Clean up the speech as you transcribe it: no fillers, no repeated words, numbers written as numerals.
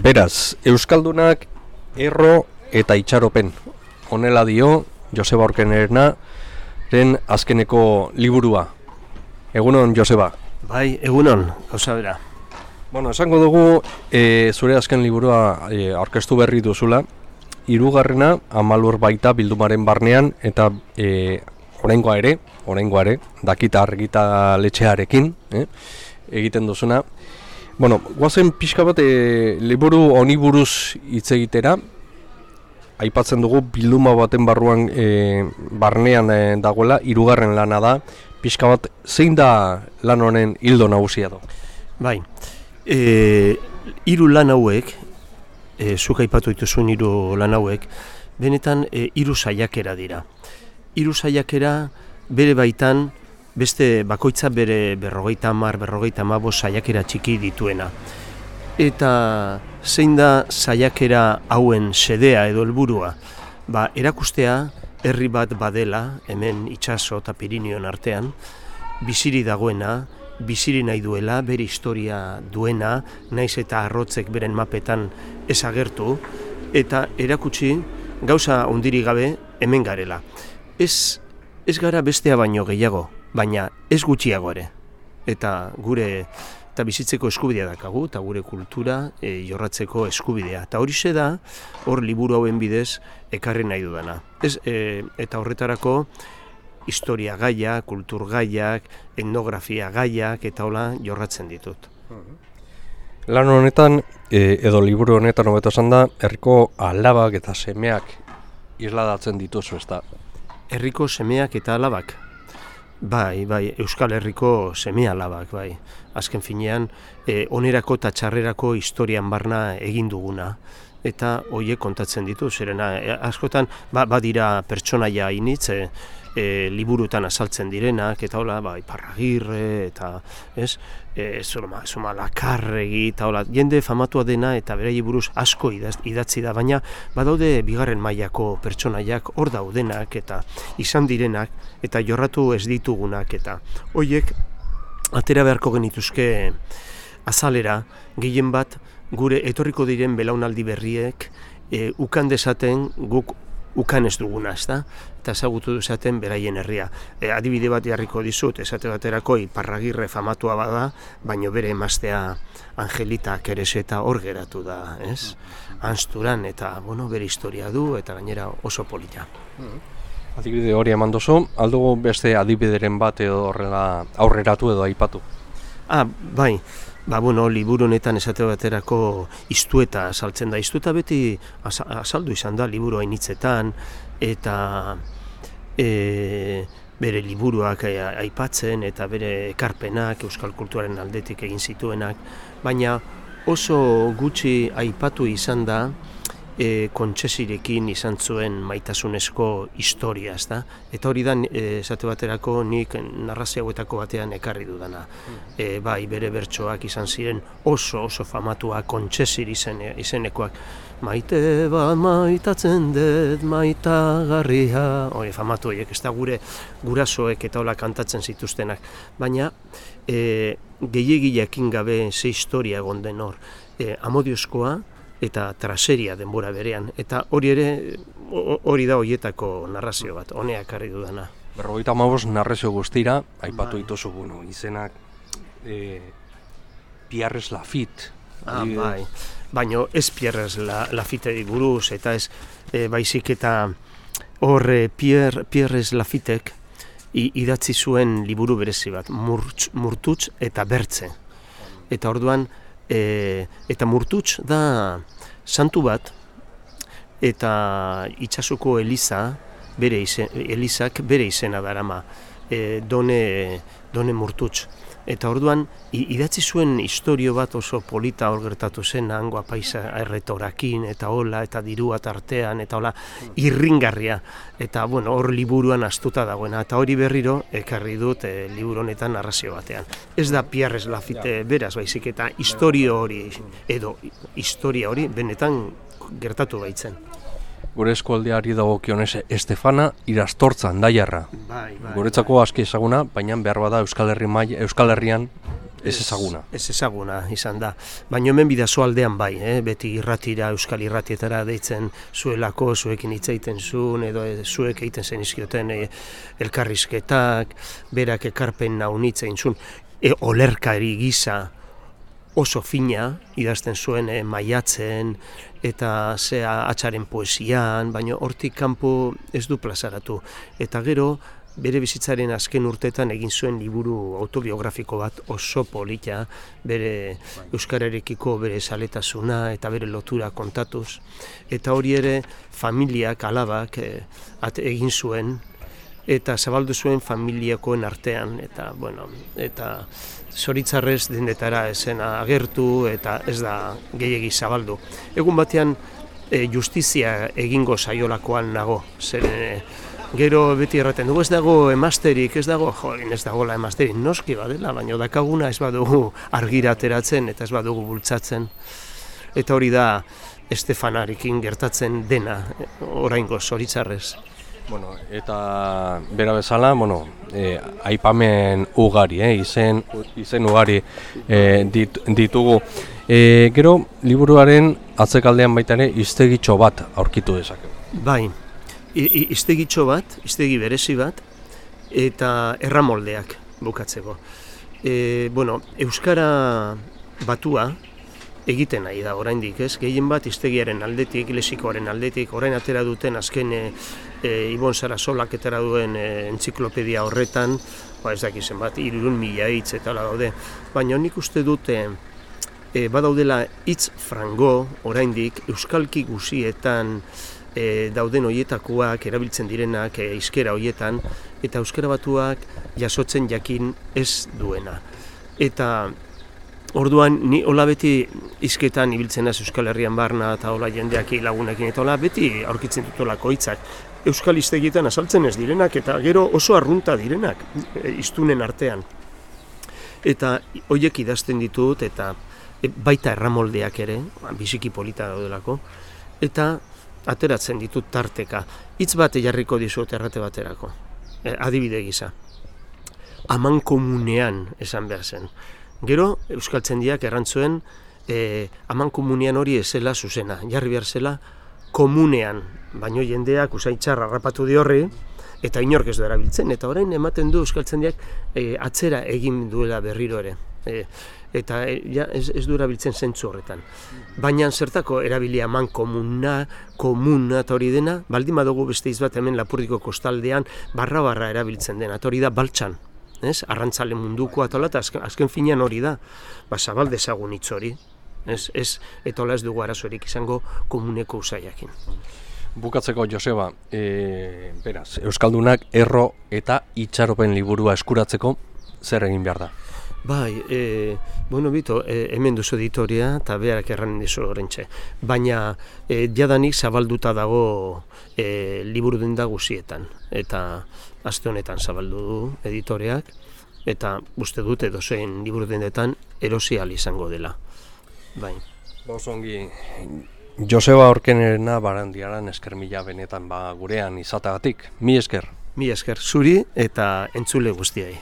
Beraz, Euskaldunak erro eta itxaropen. Honela dio Joseba Orkeneren azkeneko liburua. Egunon, Joseba. Bai, egunon, gauza bera. Bueno, esango dugu zure azken liburua aurkeztu berri duzula. Hirugarrena Amalur baita bildumaren barnean eta oraingoa ere, dakita argitaletxearekin egiten duzuna. Bueno, guazen pixka bat liburu honi buruz hitz egitera. Aipatzen dugu bilduma baten barnean dagoela, hirugarren lana da. Pixka bat, zein da lan honen hildo nagusia da? Bai, hiru lan hauek, zuk aipatu dituzun hiru lan hauek, benetan hiru saiakera dira. Hiru saiakera bere baitan, beste bakoitza bere 50-55 saiakera txiki dituena. Eta zein da saiakera hauen xedea edo helburua? Erakustea herri bat badela, hemen itsaso eta Pirinioen artean, biziri dagoena, biziri nahi duela, bere historia duena, naiz eta arrotzek beren mapetan ezagertu, eta erakutsi gauza ondiri gabe hemen garela. Ez gara bestea baino gehiago, baina ez gutxiago ere. Eta gure eta bizitzeko eskubidea dakagu, eta gure kultura jorratzeko eskubidea. Eta horixe da, hor liburu hauen bidez ekarri nahi dudana. Eta horretarako historia gaiak, kultur gaiak, etnografia gaiak, eta hola jorratzen ditut. Lan honetan, edo liburu honetan hobeto esan da, herriko alabak eta semeak isladatzen dituzu, ez da? Herriko semeak eta alabak? Bai, Euskal Herriko seme-alabak, bai. Azken finean, onerako eta txarrerako historian barna egin duguna. Eta horiek kontatzen ditu, zerena, askotan, badira pertsonaia initz, liburutan azaltzen direnak, eta hola, Iparragirre, eta, Zumalakarregi, eta hola, jende famatua dena, eta beraiei buruz asko idatzi da, baina badaude bigarren mailako pertsonaiak hor daudenak, eta izan direnak, eta jorratu ez ditugunak, eta horiek atera beharko genituzke azalera, gehien bat, gure etorriko diren belaunaldi berriek ukan dezaten guk ukan ez duguna, ezta? Eta ezagutu dezaten beraien herria. Adibide bat jarriko dizut, esate baterako Iparragirre famatua bada, baino bere emaztea Angelita Kereseta hor geratu da, ez? Anzturan, eta, bere historia du, eta gainera oso polita. Adibide hori eman duzu, aldugu beste adibideren bat edo horrela aurreratu edo aipatu? Bai. Liburu honetan esate baterako Iztueta saltzen da. Iztueta beti azaldu izan da liburu hainitzetan, eta bere liburuak aipatzen, eta bere ekarpenak euskal kulturaren aldetik egin zituenak, baina oso gutxi aipatu izan da Kontsesirekin izan zuen maitasunezko historia, ezta? Eta hori da, esate baterako, nik narrazio hauetako batean ekarri dudana. Bere bertsoak izan ziren oso famatua Kontsesir izenekoak. Maite bat maitatzen dut, maitagarria, hori famatu horiek, ez da gurasoek eta hola kantatzen zituztenak. Baina, gehiagileekin gabe ze historia egon den hor. Amodiozkoa, eta traseria denbora berean, eta hori da horietako narrazio bat, honea ekarri dudana. 55 narrazio guztira, aipatu dituzu izenak Pierres Lafitte. Baina ez Pierres Lafitteri buruz, eta ez baizik eta hor Pierres Lafittek idatzi zuen liburu berezi bat, Murtutz eta Bertze. Eta orduan, eta Murtutz da santu bat, eta itsasoko Eliza, Elizak bere izena darama, Done Murtutz. Eta orduan, idatzi zuen istorio bat oso polita hor gertatu zen, hango apaisa erretorakin, eta hola, eta dirua tartean, eta hola, irringarria. Eta, hor liburuan astuta dagoena, eta hori berriro ekarri dut liburu honetan narrazio batean. Ez da Pierres Lafitte beraz, baizik eta historia hori benetan gertatu baitzen. Gure eskualdeari dagokionez Estefana Irastortza Andaiarra. Guretzako aski ezaguna, baina behar bada Euskal Herrian Ez ezaguna. Ez ezaguna izan da. Baina hemen bidazo aldean bai, beti irratira, euskal irratietara deitzen zuelako, zuekin hitz egiten zuen, edo zuek egiten zen izkioten elkarrizketak, berak ekarpen naunitza egin zuen, olerkari gisa oso fina, idazten zuen maiatzen, eta zea atxaren poesian, baina hortik kanpo ez du plazaratu. Eta gero, bere bizitzaren azken urteetan egin zuen liburu autobiografiko bat oso polita, bere euskararekiko bere zaletasuna eta bere lotura kontatuz. Eta hori ere familiak, alabak egin zuen, eta zabaldu zuen familiakoen artean, eta zoritzarrez dendetara esena agertu eta ez da gehiegi zabaldu. Egun batean justizia egingo saiolakoan nago, zeren gero beti erraten dugu ez dago emasterik, ez dagoela emasterik, noski badela, baina dakaguna ez badugu argira ateratzen eta ez badugu bultzatzen. Eta hori da Estefanarekin gertatzen dena, oraingo zoritzarrez. Bueno, eta bera bezala, aipamen ugari, izen ugari ditugu. Gero, liburuaren atzekaldean baita ere hiztegitxo bat aurkitu dezakegu. Bai, hiztegitxo bat, hiztegi berezi bat, eta erramoldeak bukatzeko. Euskara batua egiten nahi da oraindik, ez? Gehien bat hiztegiaren aldetik, lexikoaren aldetik, orain atera duten azken Ibon Sarasolak atera duen entziklopedia horretan, ez dakizen bat, 300.000 hitz eta hala daude. Baina nik uste dute badaudela hitz frango oraindik euskalki guzietan dauden hoietakoak, erabiltzen direnak hizkera hoietan, eta euskara batuak jasotzen jakin ez duena. Eta orduan, ni hola beti hizketan ibiltzen naiz Euskal Herrian barna eta hola jendeak lagunekin eta hola beti aurkitzen dutolako hitzak. Euskal hiztegietan azaltzen ez direnak eta gero oso arrunta direnak hiztunen artean. Eta horiek idazten ditut eta baita erramoldeak ere, biziki polita daudelako, eta ateratzen ditut tarteka. Hitz bat jarriko dizut errate baterako, adibide gisa. Amankomunean esan behar zen. Gero, euskaltzendiak errantzuen amankomunean hori ezela zuzena, jarri behar zela komunean, baino jendeak usaitxarra harrapatu di horri, eta inork ez du erabiltzen, eta orain ematen du euskaltzendiak atzera egin duela berriro ere. Eta ez du erabiltzen zentzu horretan. Baina zertako erabilia amankomuna, komuna eta hori dena, baldin badugu beste hitz bat hemen Lapurdiko kostaldean barra erabiltzen dena, eta hori da baltsan. Arrantzale munduko eta azken finean hori da, zabal dezagun hitz hori, eta hola ez dugu arazorik izango komuneko usaiakin. Bukatzeko, Joseba, beraz, Euskaldunak erro eta itxaropen liburua eskuratzeko zer egin behar da? Bai, Bito, hemen duzu editoria eta beharak erranen dizu horrentxe. Baina jadanik zabalduta dago liburu denda guzietan. Eta aste honetan zabaldu du editoreak, eta uste dut edozein liburu dendetan erosi ahal izango dela. Bai. Osongi, Joseba Orkenarena Barandiaran esker mila benetan gurean izatagatik. Mi esker. Mi esker zuri eta entzule guztiai.